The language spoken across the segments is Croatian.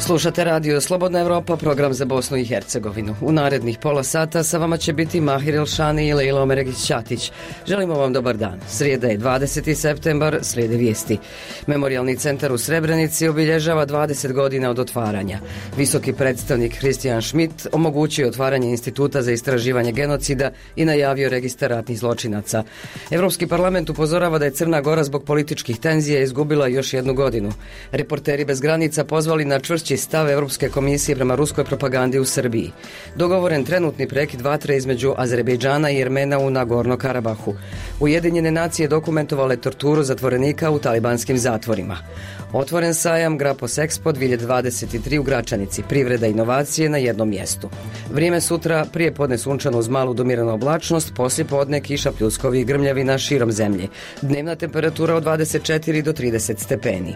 Slušate radio Slobodna Evropa, program za Bosnu i Hercegovinu. U narednih pola sata sa vama će biti Mahir Elšani i Lejla Omeregić-Ćatić. Želimo vam dobar dan. Srijeda je 20. septembar, slijede vijesti. Memorijalni centar u Srebrenici obilježava 20 godina od otvaranja. Visoki predstavnik Christian Schmidt omogućio otvaranje Instituta za istraživanje genocida i najavio registar ratnih zločinaca. Evropski parlament upozorava da je Crna Gora zbog političkih tenzija izgubila još jednu godinu. Reporteri bez granica pozvali na čvršći stav Europske komisije prema ruskoj propagandi u Srbiji. Dogovoren trenutni prekid vatre između Azerbejdžana i Jermena u Nagorno Karabahu. Ujedinjene nacije dokumentovale torturu zatvorenika u talibanskim zatvorima. Otvoren sajam Grapos Expo 2023 u Gračanici, privreda i inovacije na jednom mjestu. Vrijeme sutra, prije podne sunčano uz malu domiranu oblačnost, poslije podne kiša, pljuskovi i grmljavina širom zemlje. Dnevna temperatura od 24 do 30 stepeni.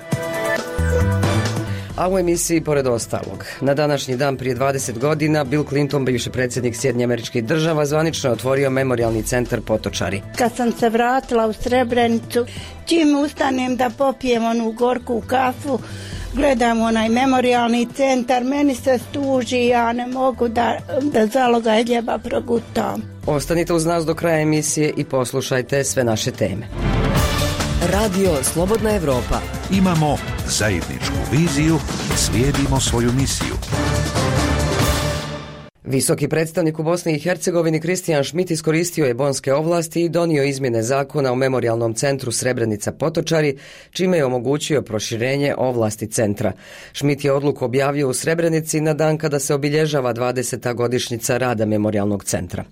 A u emisiji pored ostalog, na današnji dan prije 20 godina Bill Clinton, bivši predsjednik Sjedinjenih Američkih Država, zvanično je otvorio memorijalni centar Potočari. Kad sam se vratila u Srebrenicu, čim ustanem da popijem onu gorku kafu, gledam onaj memorijalni centar, meni se stuži, ja ne mogu da zalogaj hljeba progutam. Ostanite uz nas do kraja emisije i poslušajte sve naše teme. Radio Slobodna Evropa. Imamo zajedničku viziju i slijedimo svoju misiju. Visoki predstavnik u Bosni i Hercegovini Christian Schmidt iskoristio je bonske ovlasti i donio izmjene zakona o memorijalnom centru Srebrenica Potočari, čime je omogućio proširenje ovlasti centra. Schmidt je odluku objavio u Srebrenici na dan kada se obilježava 20. godišnjica rada memorijalnog centra.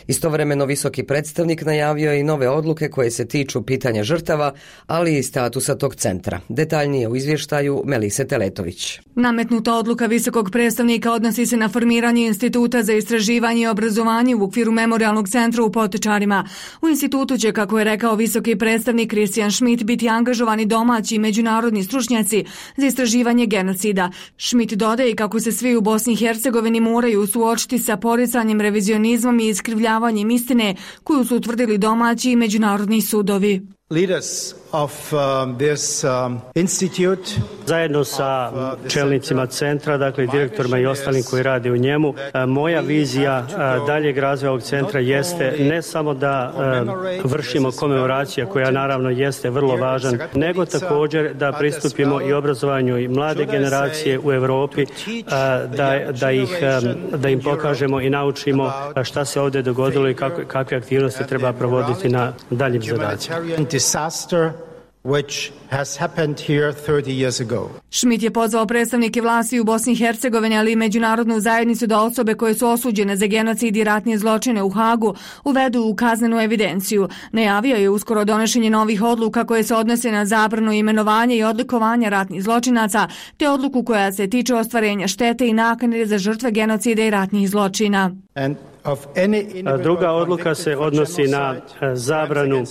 Istovremeno visoki predstavnik najavio je i nove odluke koje se tiču pitanja žrtava, ali i statusa tog centra. Detaljnije u izvještaju Melise Teletović. Nametnuta odluka visokog predstavnika odnosi se na formiranje Instituta za istraživanje i obrazovanje u okviru memorijalnog centra u Potočarima. U institutu će, kako je rekao visoki predstavnik Christian Schmidt, biti angažovani domaći i međunarodni stručnjaci za istraživanje genocida. Schmidt dodaje i kako se svi u Bosni i Hercegovini moraju suočiti sa poricanjem, revizionizmom i iskrivljavanjem istine koju su utvrdili domaći i međunarodni sudovi. Leaders of this institute, zajedno sa čelnicima centra, dakle direktorima i ostalim koji rade u njemu, moja vizija daljeg razvoja ovog centra jeste ne samo da vršimo komemoraciju, koja naravno jeste vrlo važan, nego također da pristupimo i obrazovanju i mlade generacije u Europi, da im pokažemo i naučimo šta se ovdje dogodilo i kakve aktivnosti treba provoditi na daljim zadacima. Disaster which has happened here 30 years ago. Schmidt je pozvao predstavnike vlasti u Bosni i Hercegovini, ali i međunarodnu zajednicu da osobe koje su osuđene za genocid i ratne zločine u Hagu uvedu u kaznenu evidenciju. Najavio je uskoro donošenje novih odluka koje se odnose na zabranu imenovanja i odlikovanja ratnih zločinaca, te odluku koja se tiče ostvarenja štete i naknade za žrtve genocida i ratnih zločina. Druga odluka se odnosi na zabranu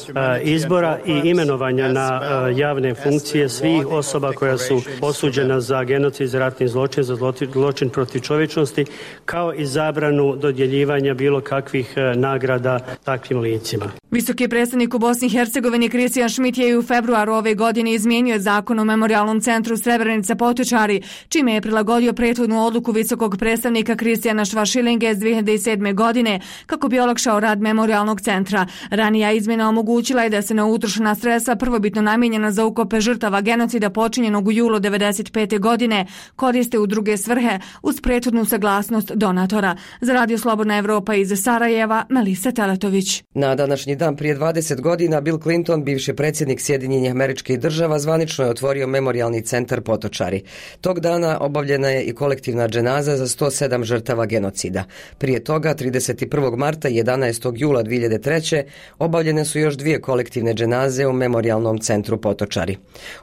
izbora i imenovanja na javne funkcije svih osoba koja su osuđena za genocid, za ratni zločin, za zločin protiv čovječnosti, kao i zabranu dodjeljivanja bilo kakvih nagrada takvim licima. Visoki predstavnik u Bosni i Hercegovini Christian Schmidt je u februaru ove godine izmijenio zakon o memorijalnom centru Srebrenica Potočari, čime je prilagodio prethodnu odluku visokog predstavnika Kristijana Švašilinge iz 2007. godine kako bi olakšao rad memorijalnog centra. Ranija izmjena omogućila je da se na utrošena sredstva prvobitno namijenjena za ukope žrtava genocida počinjenog u julu 1995. godine koriste u druge svrhe uz prethodnu saglasnost donatora. Za Radio Slobodna Evropa iz Sarajeva, Melisa Teletović. Na današnji dan prije 20 godina Bill Clinton, bivši predsjednik Sjedinjenih Američkih Država, zvanično je otvorio memorijalni centar Potočari. Tog dana obavljena je i kolektivna dženaza za 107 žrtava genocida. Prije toga, 31. marta i 11. jula 2003. obavljene su još dvije kolektivne dženaze u memorijalnom centru Potočari.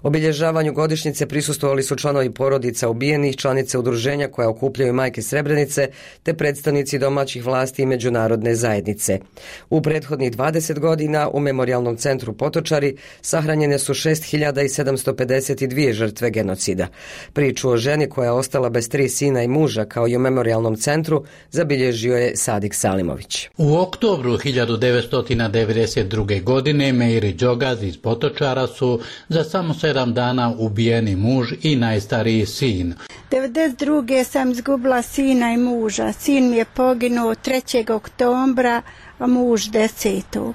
Obilježavanju godišnjice prisustvovali su članovi porodica ubijenih, članice udruženja koja okupljaju majke Srebrenice, te predstavnici domaćih vlasti i međunarodne zajednice. U prethodnih 20 godina u memorijalnom centru Potočari sahranjene su 6752 žrtve genocida. Priču o ženi koja je ostala bez 3 sina i muža, kao i u memorijalnom centru, zabilježio je Sadik Salimović. U oktobru 1992. godine Meiri Đogaz iz Potočara su za samo 7 dana ubijeni muž muž i najstariji sin. 1992. sam izgubila sina i muža. Sin mi je poginuo 3. oktobra, a muž 10.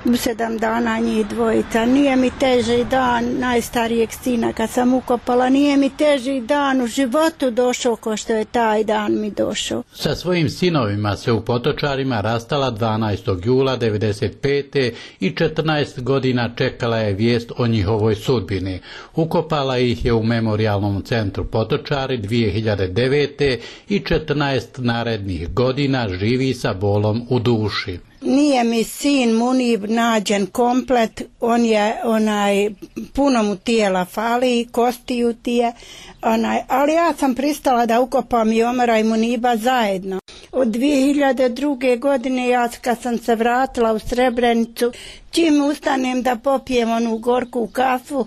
U 7 dana njih dvojica. Nije mi teži dan najstarijeg sina kad sam ukopala, nije mi teži dan u životu došao ko što je taj dan mi došao. Sa svojim sinovima se u Potočarima rastala 12. jula 1995. i 14 godina čekala je vijest o njihovoj sudbini. Ukopala ih je u Memorijalnom centru Potočari 2009. i 14 narednih godina živi sa bolom u duši. Nije mi sin Munib nađen komplet, on je puno mu tijela fali, kostiju ti je, ali ja sam pristala da ukopam i Omara i Muniba zajedno. Od 2002. godine ja kad sam se vratila u Srebrenicu, čim ustanem da popijem onu gorku kafu,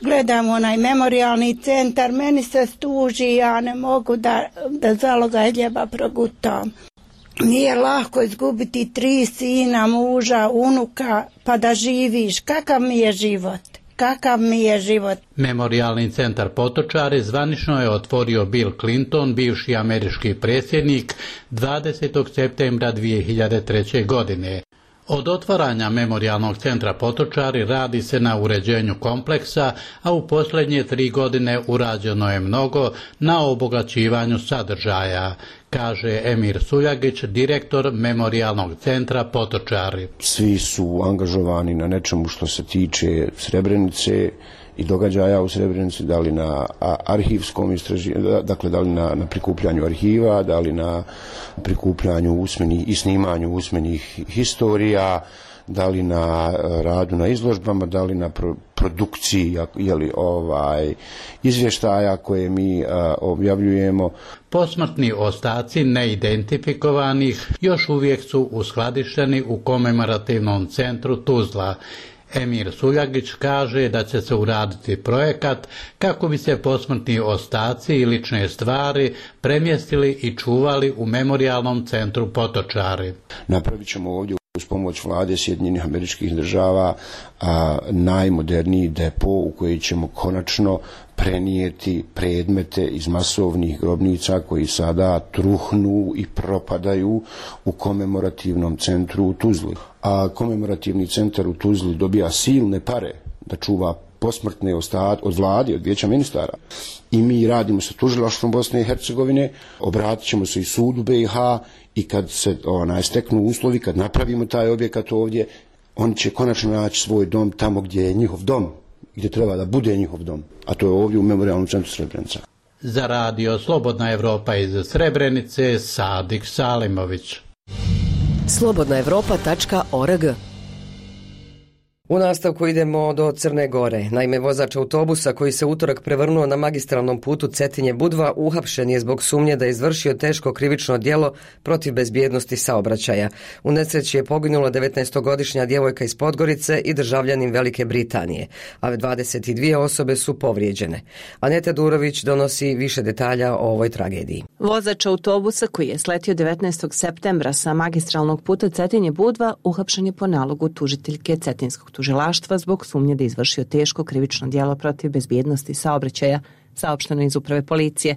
gledam memorijalni centar, meni se stuži, ja ne mogu da zalogaj hljeba progutam. Nije lako izgubiti 3 sina, muža, unuka, pa da živiš. Kakav mi je život? Kakav mi je život? Memorijalni centar Potočari zvanično je otvorio Bill Clinton, bivši američki predsjednik, 20. septembra 2003. godine. Od otvaranja Memorijalnog centra Potočari radi se na uređenju kompleksa, a u posljednje 3 godine urađeno je mnogo na obogaćivanju sadržaja, kaže Emir Suljagić, direktor Memorijalnog centra Potočari. Svi su angažovani na nečemu što se tiče Srebrenice i događaja u Srebrenici, da li na arhivskom istraživanju, dakle da li na prikupljanju arhiva, da li na prikupljanju usmenih i snimanju usmenih historija, da li na radu na izložbama, da li na produkciji izvještaja koje mi objavljujemo. Posmrtni ostaci neidentifikovanih još uvijek su uskladišteni u komemorativnom centru Tuzla. Emir Suljagić kaže da će se uraditi projekat kako bi se posmrtni ostaci i lične stvari premjestili i čuvali u Memorijalnom centru Potočari. Napravit ćemo ovdje uz pomoć vlade Sjedinjenih Američkih Država najmoderniji depo u koji ćemo konačno prenijeti predmete iz masovnih grobnica koji sada truhnu i propadaju u komemorativnom centru u Tuzli. A komemorativni centar u Tuzli dobija silne pare da čuva posmrtne ostatke od vlade, od vijeća ministara. I mi radimo sa tužilaštvom Bosne i Hercegovine, obratit ćemo se i sudu BiH i kad se steknu uslovi, kad napravimo taj objekat ovdje, on će konačno naći svoj dom tamo gdje je njihov dom, gdje treba da bude njihov dom, a to je ovdje u Memorijalnom centru Srebrenica. Za radio Slobodna Evropa iz Srebrenice, Sadik Salimović. slobodnaevropa.org. U nastavku idemo do Crne Gore. Naime, vozač autobusa koji se utorak prevrnuo na magistralnom putu Cetinje-Budva uhapšen je zbog sumnje da je izvršio teško krivično djelo protiv bezbjednosti saobraćaja. U nesreći je poginula 19-godišnja djevojka iz Podgorice i državljanin Velike Britanije, a 22 osobe su povrijeđene. Aneta Durović donosi više detalja o ovoj tragediji. Vozač autobusa koji je sletio 19. septembra sa magistralnog puta Cetinje-Budva uhapšen je po nalogu tužiteljke Cetinskog tužilaštva zbog sumnje da je izvršio teško krivično djelo protiv bezbjednosti saobraćaja, saopšteno iz uprave policije.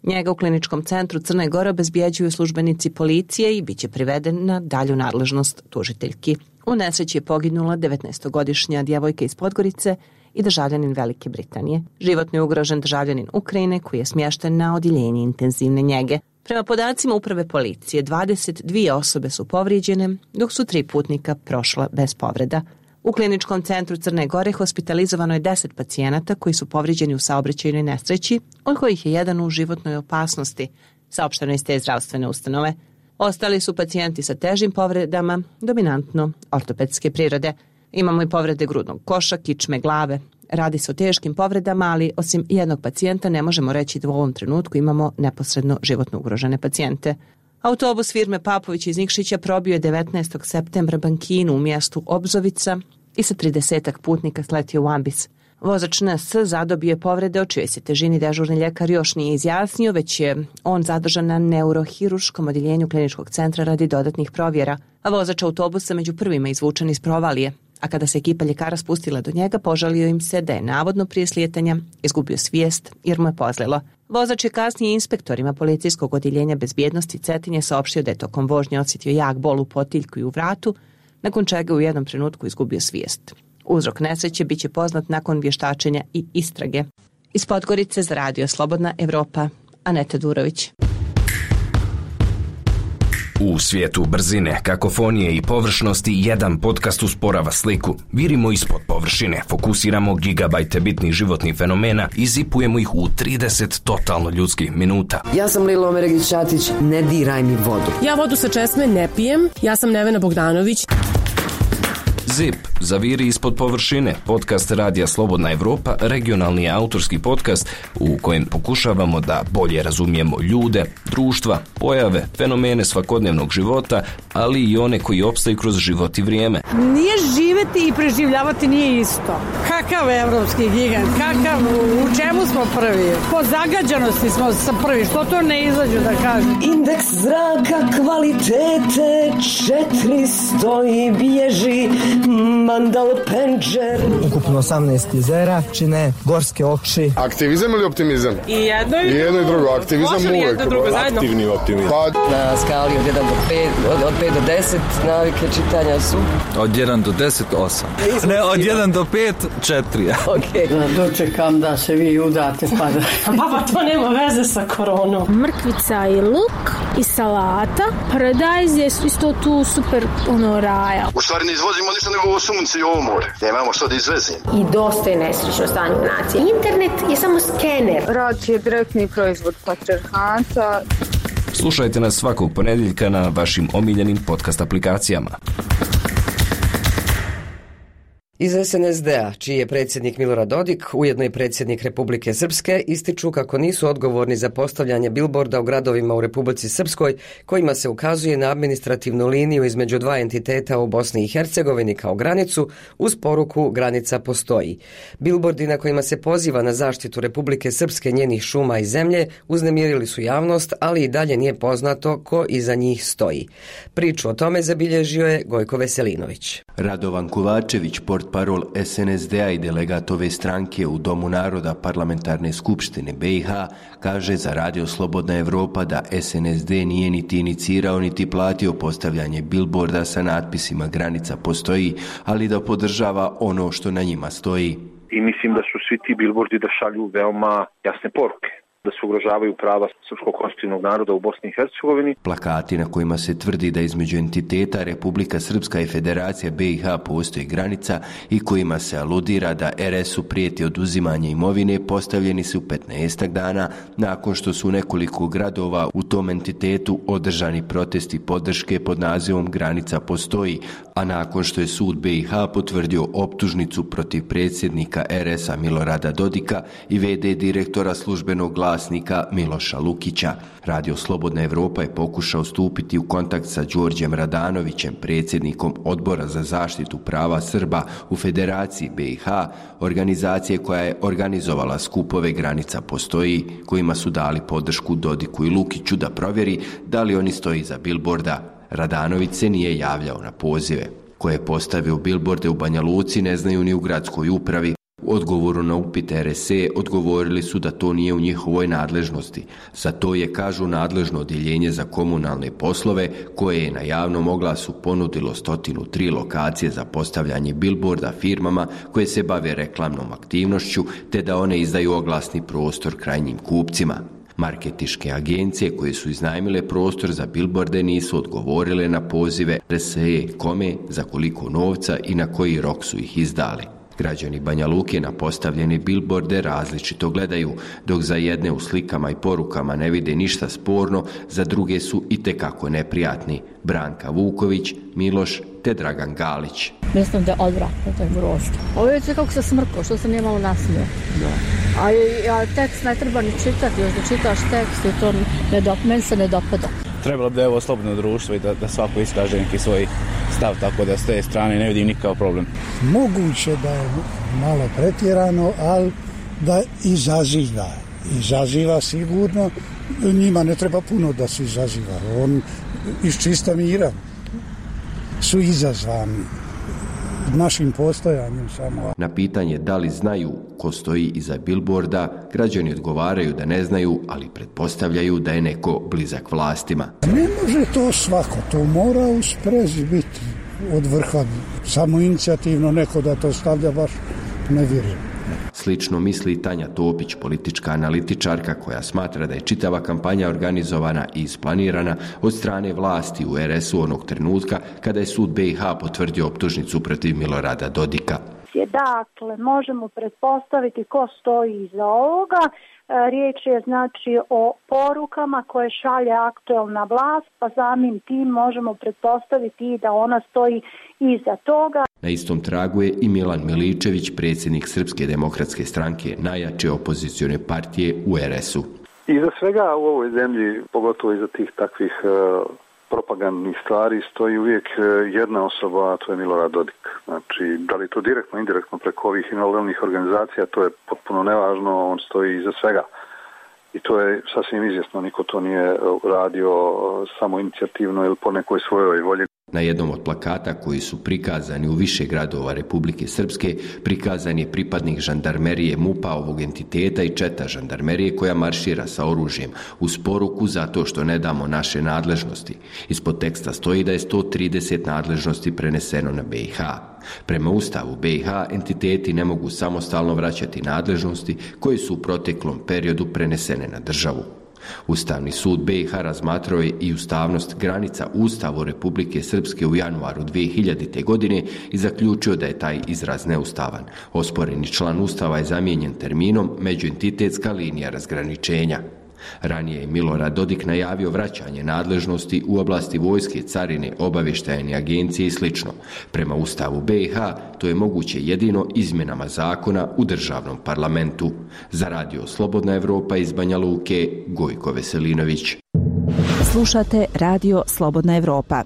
Njega u kliničkom centru Crne Gore obezbjeđuju službenici policije i bit će priveden na dalju nadležnost tužiteljki. U nesreći je poginula 19-godišnja djevojka iz Podgorice i državljanin Velike Britanije. Životno je ugrožen državljanin Ukrajine koji je smješten na odjeljenje intenzivne njege. Prema podacima uprave policije, 22 osobe su povrijeđene, dok su 3 putnika prošla bez povreda. U kliničkom centru Crne Gore hospitalizovano je 10 pacijenata koji su povrijeđeni u saobraćajnoj nesreći, od kojih je jedan u životnoj opasnosti, saopšteno iz te zdravstvene ustanove. Ostali su pacijenti sa težim povredama, dominantno ortopedske prirode. Imamo i povrede grudnog koša, kičme, glave. Radi se o teškim povredama, ali osim jednog pacijenta ne možemo reći da u ovom trenutku imamo neposredno životno ugrožene pacijente. Autobus firme Papović iz Nikšića probio je 19. septembra bankinu u mjestu Obzovica i sa 30 putnika sletio u ambis. Vozač NS zadobio je povrede o čijoj se težini dežurni ljekar još nije izjasnio, već je on zadržan na neurohiruškom odjeljenju kliničkog centra radi dodatnih provjera, a vozač autobusa među prvima izvučen iz provalije. a kada se ekipa ljekara spustila do njega, požalio im se da je navodno prije slijetanja izgubio svijest jer mu je pozlilo. Vozač je kasnije inspektorima policijskog odjeljenja bezbjednosti Cetinje saopštio da je tokom vožnje osjetio jak bol u potiljku i u vratu, nakon čega u jednom trenutku izgubio svijest. Uzrok nesreće biće poznat nakon vještačenja i istrage. Iz Podgorice za Radio Slobodna Evropa, Aneta Durović. U svijetu brzine, kakofonije i površnosti jedan podcast usporava sliku. Virimo ispod površine, fokusiramo gigabajte bitnih životnih fenomena i zipujemo ih u 30 totalno ljudskih minuta. Ja sam Lilo Omeregić-Ćatić, ne diraj mi vodu. Ja vodu sa česme ne pijem, ja sam Nevena Bogdanović. ZIP, zaviri ispod površine, podcast Radija Slobodna Evropa, regionalni autorski podcast u kojem pokušavamo da bolje razumijemo ljude, društva, pojave, fenomene svakodnevnog života, ali i one koji opstaju kroz život i vrijeme. Nije živjeti i preživljavati nije isto. Kakav evropski gigant, u čemu smo prvi? Po zagađenosti smo prvi, što to ne izađu da kažem? Indeks zraka kvalitete 400 i bježi Mandal Penđer. Ukupno 18 jezera čine gorske oči. Aktivizam ili optimizam? I jedno i drugo. Aktivizam uvijek. Aktivni optimizam. Na skali od 1 do 5, od 5 do 10 navike čitanja su? Od 1 do 10, 8. Ne, od 1 do 5, 4. Okay. Dočekam da se vi udate pa da... Pa to nema veze sa koronom. Mrkvica i luk i salata. Paradajz je isto tu super raja. U stvari ne izvozimo ništa nego ovo sunce i ovo more. Nemamo što da izvezimo. I dosta je nesrećno stanje u naciji. Internet je samo skener. Rat je direktni proizvod patrijarhata. Slušajte nas svakog ponedjeljka na vašim omiljenim podcast aplikacijama. Iz SNSD-a, čiji je predsjednik Milorad Dodik, ujedno i predsjednik Republike Srpske, ističu kako nisu odgovorni za postavljanje bilborda u gradovima u Republici Srpskoj, kojima se ukazuje na administrativnu liniju između dva entiteta u Bosni i Hercegovini kao granicu, uz poruku granica postoji. Bilbordi na kojima se poziva na zaštitu Republike Srpske, njenih šuma i zemlje uznemirili su javnost, ali i dalje nije poznato ko iza njih stoji. Priču o tome zabilježio je Gojko Veselinović. Radovan Kovačević, portparol SNSD-a i delegat ove stranke u Domu naroda Parlamentarne skupštine BiH, kaže za Radio Slobodna Evropa da SNSD nije niti inicirao niti platio postavljanje bilborda sa natpisima granica postoji, ali da podržava ono što na njima stoji. I mislim da su svi ti bilbordi da šalju veoma jasne poruke, da se ugrožavaju prava srpskog konstitutivnog naroda u Bosni i Hercegovini. Plakati na kojima se tvrdi da između entiteta Republika Srpska i Federacija BiH postoji granica i kojima se aludira da RS-u prijeti oduzimanje imovine postavljeni su 15 dana nakon što su u nekoliko gradova u tom entitetu održani protesti podrške pod nazivom Granica postoji, a nakon što je sud BiH potvrdio optužnicu protiv predsjednika RS-a Milorada Dodika i v.d. direktora službenog glasnika Miloša Lukića. Radio Slobodna Evropa je pokušao stupiti u kontakt sa Đorđem Radanovićem, predsjednikom Odbora za zaštitu prava Srba u Federaciji BiH, organizacije koja je organizovala skupove Granica postoji, kojima su dali podršku Dodiku i Lukiću da provjeri da li oni stoji iza bilborda. Radanović se nije javljao na pozive. Ko je postavio bilborde u Banja Luci ne znaju ni u gradskoj upravi. U odgovoru na upit RSE odgovorili su da to nije u njihovoj nadležnosti. Za to je, kažu, nadležno odjeljenje za komunalne poslove koje je na javnom oglasu ponudilo 103 lokacije za postavljanje bilborda firmama koje se bave reklamnom aktivnošću te da one izdaju oglasni prostor krajnjim kupcima. Marketinške agencije koje su iznajmile prostor za bilborde nisu odgovorile na pozive RSE kome, za koliko novca i na koji rok su ih izdali. Građani Banja Luke na postavljene bilborde različito gledaju, dok za jedne u slikama i porukama ne vide ništa sporno, za druge su itekako neprijatni. Branka Vuković, Miloš te Dragan Galić. Mislim da je odvratno, to je grozno. Ovo je kako se smrko, što se nije malo nasmio. A tekst ne treba ni čitati, još da čitaš tekst i to meni se ne dopada. Trebalo bi da je ovo slobodno društvo i da svako iskaže neki svoj stav, tako da s te strane ne vidim nikakav problem. Moguće da je malo pretjerano, ali da izaziva sigurno. Njima ne treba puno da se izaziva. On iz čista mira su izazvani našim postojanjem samo. Na pitanje da li znaju ko stoji iza bilborda, građani odgovaraju da ne znaju, ali pretpostavljaju da je neko blizak vlastima. Ne može to svako, to mora u sprezi biti od vrha. Samo inicijativno neko da to stavlja, baš ne vjerujem. Slično misli Tanja Topić, politička analitičarka koja smatra da je čitava kampanja organizovana i isplanirana od strane vlasti u RS-u onog trenutka kada je sud BiH potvrdio optužnicu protiv Milorada Dodika. Dakle, možemo pretpostaviti ko stoji iza ovoga. Riječ je znači o porukama koje šalje aktuelna vlast, pa samim tim možemo pretpostaviti da ona stoji iza toga. Na istom tragu je i Milan Miličević, predsjednik Srpske demokratske stranke, najjače opozicione partije u RS-u. Iza svega u ovoj zemlji, pogotovo iza tih takvih propagandnih stvari, stoji uvijek jedna osoba, a to je Milorad Dodik. Znači, da li to direktno, indirektno preko ovih invalidnih organizacija, to je potpuno nevažno, on stoji iza svega. I to je sasvim izvjesno, niko to nije radio samo inicijativno ili po nekoj svojoj volji. Na jednom od plakata koji su prikazani u više gradova Republike Srpske prikazan je pripadnik žandarmerije MUP-a ovog entiteta i četa žandarmerije koja maršira sa oružjem uz poruku zato što ne damo naše nadležnosti. Ispod teksta stoji da je 130 nadležnosti preneseno na BiH. Prema Ustavu BiH entiteti ne mogu samostalno vraćati nadležnosti koje su u proteklom periodu prenesene na državu. Ustavni sud BiH razmatrao je i ustavnost granica Ustavu Republike Srpske u januaru 2000. godine i zaključio da je taj izraz neustavan. Osporeni član Ustava je zamijenjen terminom međuentitetska linija razgraničenja. Ranije je Milorad Dodik najavio vraćanje nadležnosti u oblasti vojske, carine, obavještajne agencije i sl. Prema Ustavu BiH to je moguće jedino izmjenama zakona u državnom parlamentu. Za radio Slobodna Evropa iz Banja Luke, Gojko Veselinović. Slušate Radio Slobodna Evropa.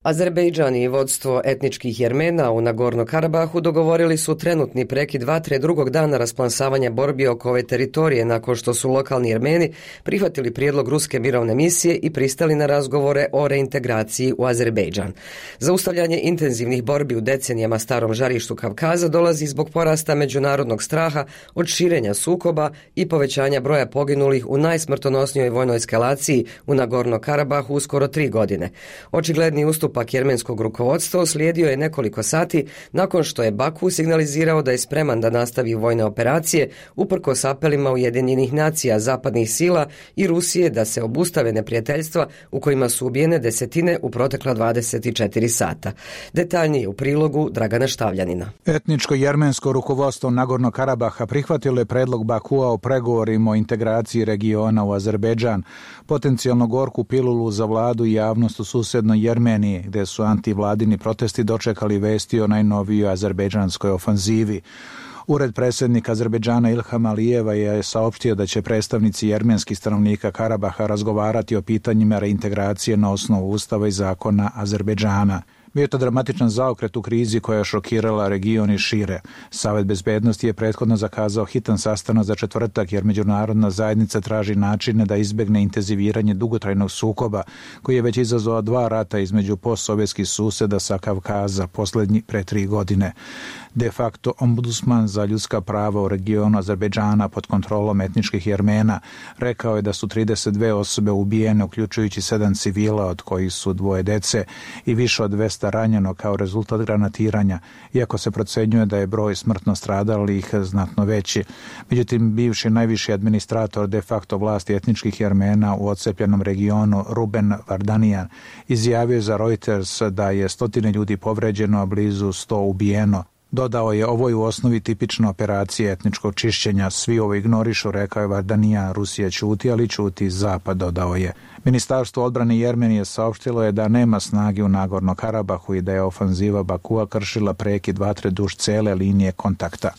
Azerbejdžan i vodstvo etničkih Jermena u Nagorno-Karabahu dogovorili su trenutni prekid vatre drugog dana rasplansavanja borbi oko ove teritorije nakon što su lokalni Jermeni prihvatili prijedlog ruske mirovne misije i pristali na razgovore o reintegraciji u Azerbejdžan. Zaustavljanje intenzivnih borbi u decenijama starom žarištu Kavkaza dolazi zbog porasta međunarodnog straha od širenja sukoba i povećanja broja poginulih u najsmrtonosnijoj vojnoj eskalaciji u Nagorno-Karabahu u skoro 3 godine. Očigledni ustupak jermenskog rukovodstva uslijedio je nekoliko sati nakon što je Baku signalizirao da je spreman da nastavi vojne operacije uprkos apelima Ujedinjenih nacija, zapadnih sila i Rusije da se obustave neprijateljstva u kojima su ubijene desetine u protekla 24 sata. Detaljnije u prilogu Dragana Štavljanina. Etničko jermensko rukovodstvo Nagorno-Karabaha prihvatilo je predlog Bakua o pregovorima o integraciji regiona u Azerbejdžan, potencijalno gorku pilulu za vladu i javnost u susednoj Jermeniji, gdje su antivladini protesti dočekali vesti o najnovijoj azerbejdžanskoj ofanzivi. Ured predsjednika Azerbejdžana Ilham Alijeva je saopštio da će predstavnici jermenskih stanovnika Karabaha razgovarati o pitanjima reintegracije na osnovu ustava i zakona Azerbejdžana. Bio je to dramatičan zaokret u krizi koja je šokirala region i šire. Savet bezbednosti je prethodno zakazao hitan sastanak za četvrtak jer međunarodna zajednica traži načine da izbjegne intenziviranje dugotrajnog sukoba koji je već izazvao 2 rata između postsovjetskih suseda sa Kavkaza, posljednji pre 3 godine. De facto ombudsman za ljudska prava u regionu Azerbejdžana pod kontrolom etničkih Jermena rekao je da su 32 osobe ubijene, uključujući 7 civila, od kojih su 2 dece i više od 200 ranjeno kao rezultat granatiranja, iako se procenjuje da je broj smrtno stradalih znatno veći. Međutim, bivši najviši administrator de facto vlasti etničkih Jermena u odcepljenom regionu Ruben Vardanian izjavio za Reuters da je 100 ljudi povređeno, a blizu 100 ubijeno. Dodao je, ovo je u osnovi tipična operacija etničkog čišćenja, svi ovo ignorišu, rekao je Vardanian. Rusija ćuti, ali ćuti Zapad, dodao je. Ministarstvo odbrane Jermenije saopštilo je da nema snage u Nagorno-Karabahu i da je ofanziva Bakua kršila prekid vatre duž cele linije kontakta.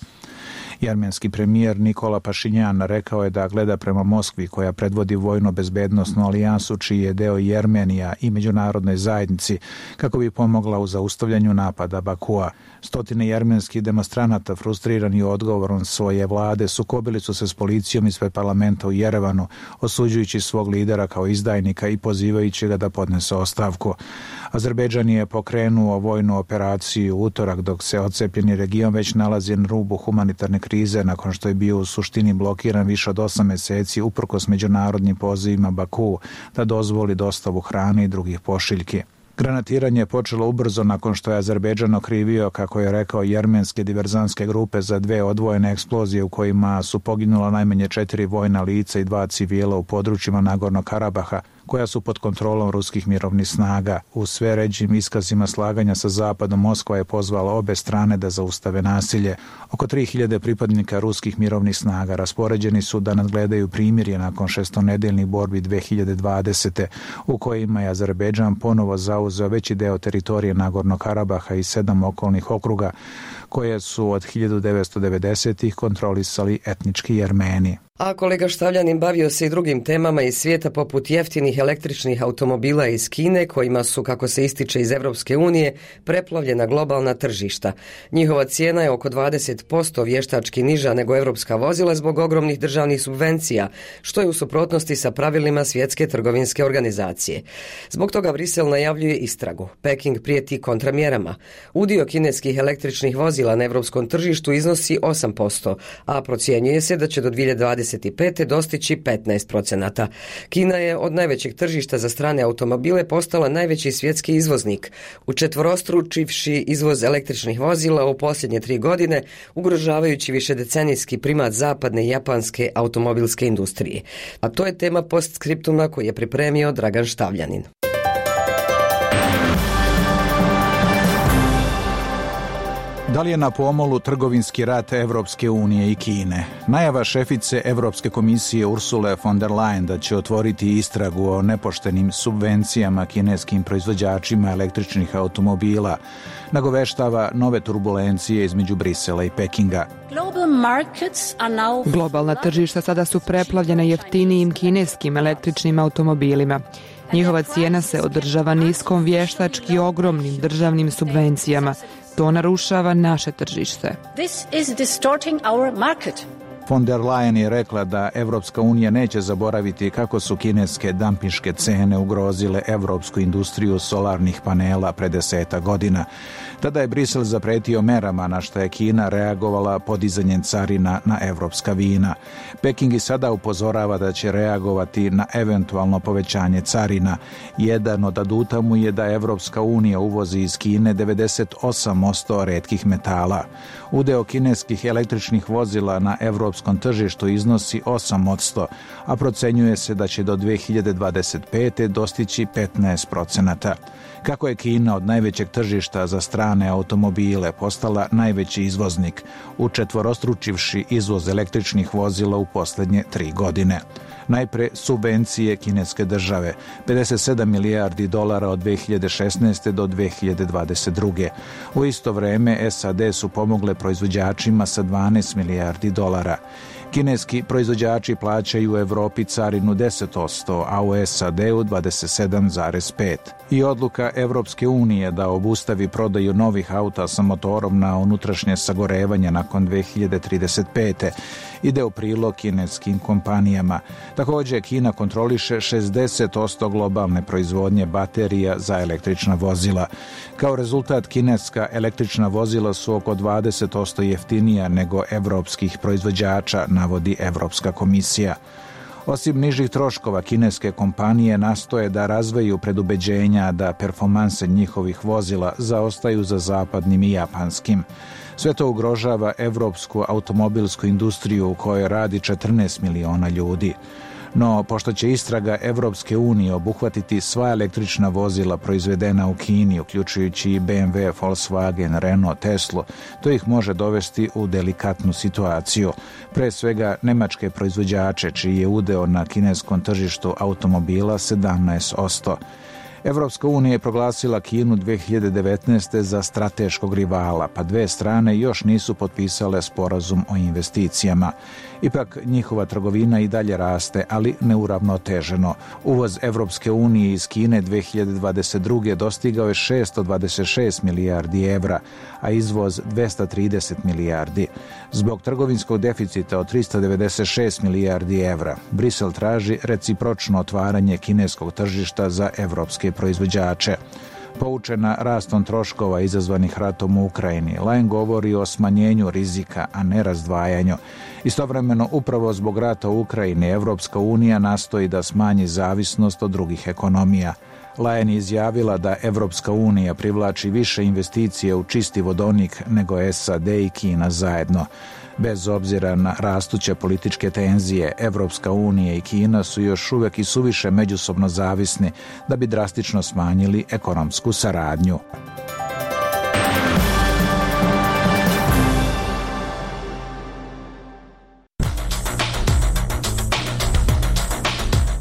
Jermenski premijer Nikola Pašinjan rekao je da gleda prema Moskvi koja predvodi vojno-bezbednosnu alijansu čiji je deo Jermenija i međunarodnoj zajednici kako bi pomogla u zaustavljanju napada Bakua. Stotine jermenskih demonstranata frustrirani odgovorom svoje vlade sukobili su se s policijom ispred parlamenta u Jerevanu, osuđujući svog lidera kao izdajnika i pozivajući ga da podnese ostavku. Azerbejdžan je pokrenuo vojnu operaciju u utorak dok se odcepljeni region već nalazi na rubu humanitarne krize nakon što je bio u suštini blokiran više od 8 meseci uprkos međunarodnim pozivima Baku da dozvoli dostavu hrane i drugih pošiljki. Granatiranje je počelo ubrzo nakon što je Azerbejdžan okrivio, kako je rekao, jermenske diverzantske grupe za 2 odvojene eksplozije u kojima su poginula najmanje 4 vojna lica i 2 civila u područjima Nagornog Karabaha, koja su pod kontrolom ruskih mirovnih snaga. U sve ređim iskazima slaganja sa Zapadom Moskva je pozvala obe strane da zaustave nasilje. Oko 3000 pripadnika ruskih mirovnih snaga raspoređeni su da nadgledaju primirje nakon 6-nedeljnih borbi 2020. u kojima je Azerbejdžan ponovo zauzeo veći deo teritorije Nagornog Karabaha i 7 okolnih okruga koje su od 1990-ih kontrolisali etnički Jermeni. A kolega Štavljanin bavio se i drugim temama iz svijeta poput jeftinih električnih automobila iz Kine kojima su, kako se ističe iz Europske unije, preplavljena globalna tržišta. Njihova cijena je oko 20% vještački niža nego europska vozila zbog ogromnih državnih subvencija, što je u suprotnosti sa pravilima Svjetske trgovinske organizacije. Zbog toga Brisel najavljuje istragu. Peking prijeti kontramjerama. Udio kineskih električnih vozila na europskom tržištu iznosi 8%, a procjenjuje se da će do 2025. dostići 15%. Kina je od najvećeg tržišta za strane automobile postala najveći svjetski izvoznik, učetvorostručivši izvoz električnih vozila u posljednje 3 godine, ugrožavajući višedecenijski primat zapadne japanske automobilske industrije. A to je tema postskriptuma koji je pripremio Dragan Štavljanin. Da li je na pomolu trgovinski rat Evropske unije i Kine? Najava šefice Evropske komisije Ursule von der Leyen da će otvoriti istragu o nepoštenim subvencijama kineskim proizvođačima električnih automobila nagoveštava nove turbulencije između Brisela i Pekinga. Globalna tržišta sada su preplavljena jeftinijim kineskim električnim automobilima. Njihova cijena se održava niskom vještački ogromnim državnim subvencijama. To narušava naše tržište. Von der Leyen je rekla da Evropska unija neće zaboraviti kako su kineske dampinške cene ugrozile evropsku industriju solarnih panela pre 10 godina. Tada je Brisel zapretio merama na što je Kina reagovala podizanjem carina na evropska vina. Peking i sada upozorava da će reagovati na eventualno povećanje carina. Jedan od aduta mu je da Evropska unija uvozi iz Kine 98% retkih metala. Udeo kineskih električnih vozila na evropskom tržištu iznosi 8%, a procenjuje se da će do 2025. dostići 15%. Kako je Kina od najvećeg tržišta za strane automobile postala najveći izvoznik, učetvorostručivši izvoz električnih vozila u posljednje 3 godine. Najpre subvencije kineske države, 57 milijardi dolara od 2016. do 2022. U isto vrijeme SAD su pomogle proizvođačima sa 12 milijardi dolara. Kineski proizvođači plaćaju u Evropi carinu 10%, a u SAD-u 27,5%. I odluka Evropske unije da obustavi prodaju novih auta sa motorom na unutrašnje sagorevanje nakon 2035. ide u prilog kineskim kompanijama. Također Kina kontroliše 60% globalne proizvodnje baterija za električna vozila. Kao rezultat kineska električna vozila su oko 20% jeftinija nego evropskih proizvođača, navodi Evropska komisija. Osim nižih troškova, kineske kompanije nastoje da razviju predubeđenja da performanse njihovih vozila zaostaju za zapadnim i japanskim. Sve to ugrožava evropsku automobilsku industriju u kojoj radi 14 miliona ljudi. No, pošto će istraga Evropske unije obuhvatiti sva električna vozila proizvedena u Kini, uključujući i BMW, Volkswagen, Renault, Tesla, to ih može dovesti u delikatnu situaciju. Pre svega nemačke proizvođače, čiji je udeo na kineskom tržištu automobila 17%. Evropska unija je proglasila Kinu 2019. za strateškog rivala, pa dve strane još nisu potpisale sporazum o investicijama. Ipak njihova trgovina i dalje raste, ali neuravnoteženo. Uvoz Evropske unije iz Kine 2022. dostigao je 626 milijardi evra, a izvoz 230 milijardi. Zbog trgovinskog deficita od 396 milijardi evra, Brisel traži recipročno otvaranje kineskog tržišta za evropske proizvođače. Poučena rastom troškova izazvanih ratom u Ukrajini, Leyen govori o smanjenju rizika, a ne razdvajanju. Istovremeno, upravo zbog rata u Ukrajini, Evropska unija nastoji da smanji zavisnost od drugih ekonomija. Leyen je izjavila da Evropska unija privlači više investicije u čisti vodonik nego SAD i Kina zajedno. Bez obzira na rastuće političke tenzije, Evropska unija i Kina su još uvijek i suviše međusobno zavisni da bi drastično smanjili ekonomsku saradnju.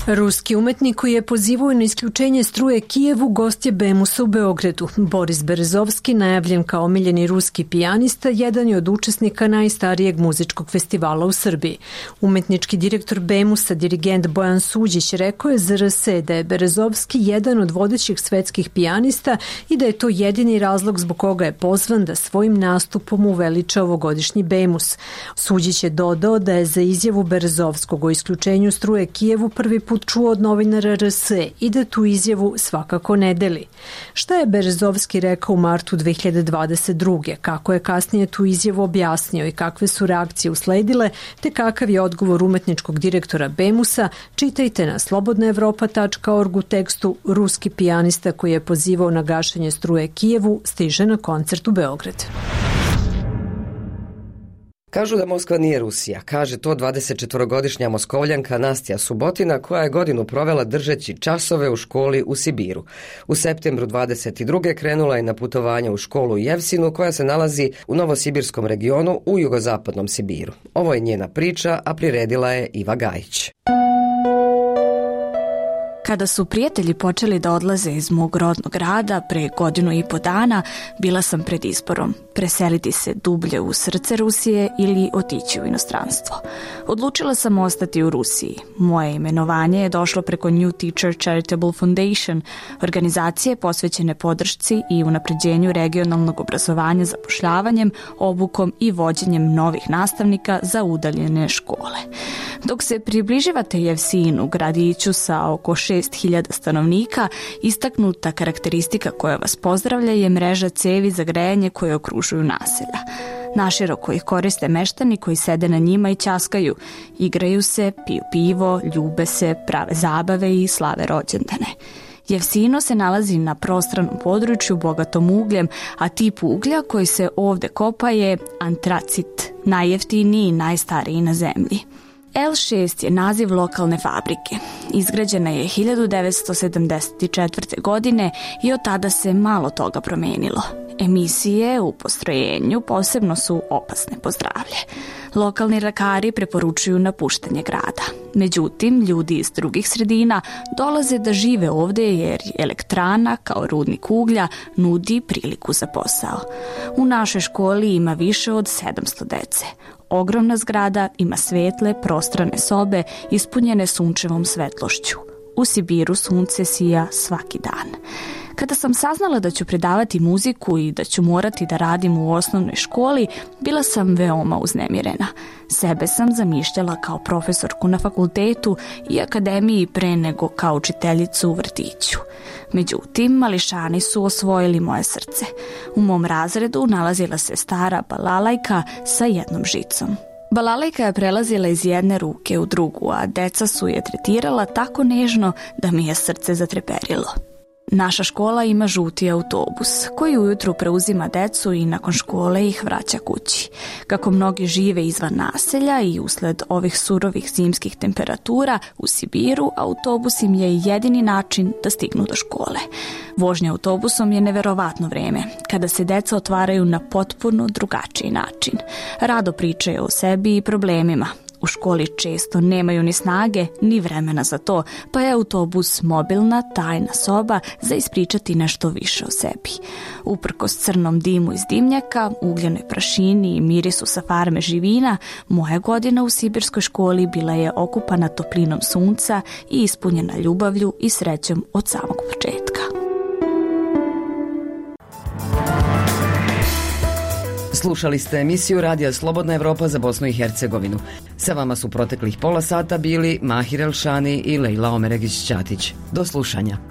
Ruski umetnik koji je pozivao na isključenje struje Kijevu gost je Bemusa u Beogradu. Boris Berezovski, najavljen kao omiljeni ruski pijanista, jedan je od učesnika najstarijeg muzičkog festivala u Srbiji. Umetnički direktor Bemusa, dirigent Bojan Suđić, rekao je za RS da je Berezovski jedan od vodećih svetskih pijanista i da je to jedini razlog zbog koga je pozvan da svojim nastupom uveliča ovogodišnji Bemus. Suđić je dodao da je za izjavu Berezovskog o isključenju struje Kijevu prvi put čuo od novinara RS i da tu izjavu svakako ne deli. Šta je Berezovski rekao u martu 2022. Kako je kasnije tu izjavu objasnio i kakve su reakcije usledile, te kakav je odgovor umetničkog direktora Bemusa, čitajte na slobodnaevropa.org u tekstu. Ruski pijanista koji je pozivao na gašenje struje Kijevu stiže na koncert u Beograd. Kažu da Moskva nije Rusija, kaže to 24-godišnja Moskovljanka Nastja Subotina, koja je godinu provela držeći časove u školi u Sibiru. U septembru 22. krenula je na putovanje u školu u Jevsinu, koja se nalazi u Novosibirskom regionu u jugozapadnom Sibiru. Ovo je njena priča, a priredila je Iva Gajić. Kada su prijatelji počeli da odlaze iz mog rodnog grada pre 1.5 godina, bila sam pred izborom: preseliti se dublje u srce Rusije ili otići u inostranstvo. Odlučila sam ostati u Rusiji. Moje imenovanje je došlo preko New Teacher Charitable Foundation, organizacije posvećene podršci i unapređenju regionalnog obrazovanja zapošljavanjem, obukom i vođenjem novih nastavnika za udaljene škole. Dok se približavate Jevsinu, gradiću sa oko 6.000 stanovnika, istaknuta karakteristika koja vas pozdravlja je mreža cevi za grejanje koje okružuju naselja. Naširoko ih koriste meštani koji sede na njima i ćaskaju, igraju se, piju pivo, ljube se, prave zabave i slave rođendane. Jevsino se nalazi na prostranom području bogatom ugljem, a tip uglja koji se ovde kopa je antracit, najjeftiniji i najstariji na zemlji. L6 je naziv lokalne fabrike. Izgrađena je 1974. godine i od tada se malo toga promenilo. Emisije u postrojenju posebno su opasne po zdravlje. Lokalni lekari preporučuju napuštanje grada. Međutim, ljudi iz drugih sredina dolaze da žive ovde jer elektrana, kao rudnik uglja, nudi priliku za posao. U našoj školi ima više od 700 dece. Ogromna zgrada ima svetle, prostrane sobe ispunjene sunčevom svetlošću. U Sibiru sunce sija svaki dan. Kada sam saznala da ću predavati muziku i da ću morati da radim u osnovnoj školi, bila sam veoma uznemirena. Sebe sam zamišljala kao profesorku na fakultetu i akademiji pre nego kao učiteljicu u vrtiću. Međutim, mališani su osvojili moje srce. U mom razredu nalazila se stara balalajka sa jednom žicom. Balalajka je prelazila iz jedne ruke u drugu, a deca su je tretirala tako nežno da mi je srce zatreperilo. Naša škola ima žuti autobus koji ujutru preuzima decu i nakon škole ih vraća kući. Kako mnogi žive izvan naselja i usled ovih surovih zimskih temperatura u Sibiru, autobus im je jedini način da stignu do škole. Vožnja autobusom je neverovatno vreme, kada se deca otvaraju na potpuno drugačiji način. Rado pričaju o sebi i problemima. U školi često nemaju ni snage, ni vremena za to, pa je autobus mobilna, tajna soba za ispričati nešto više o sebi. Uprkos crnom dimu iz dimnjaka, ugljenoj prašini i mirisu sa farme živina, moja godina u sibirskoj školi bila je okupana toplinom sunca i ispunjena ljubavlju i srećom od samog početka. Slušali ste emisiju Radija Slobodna Evropa za Bosnu i Hercegovinu. Sa vama su proteklih pola sata bili Mahir Elšani i Lejla Omeregić-Ćatić. Do slušanja.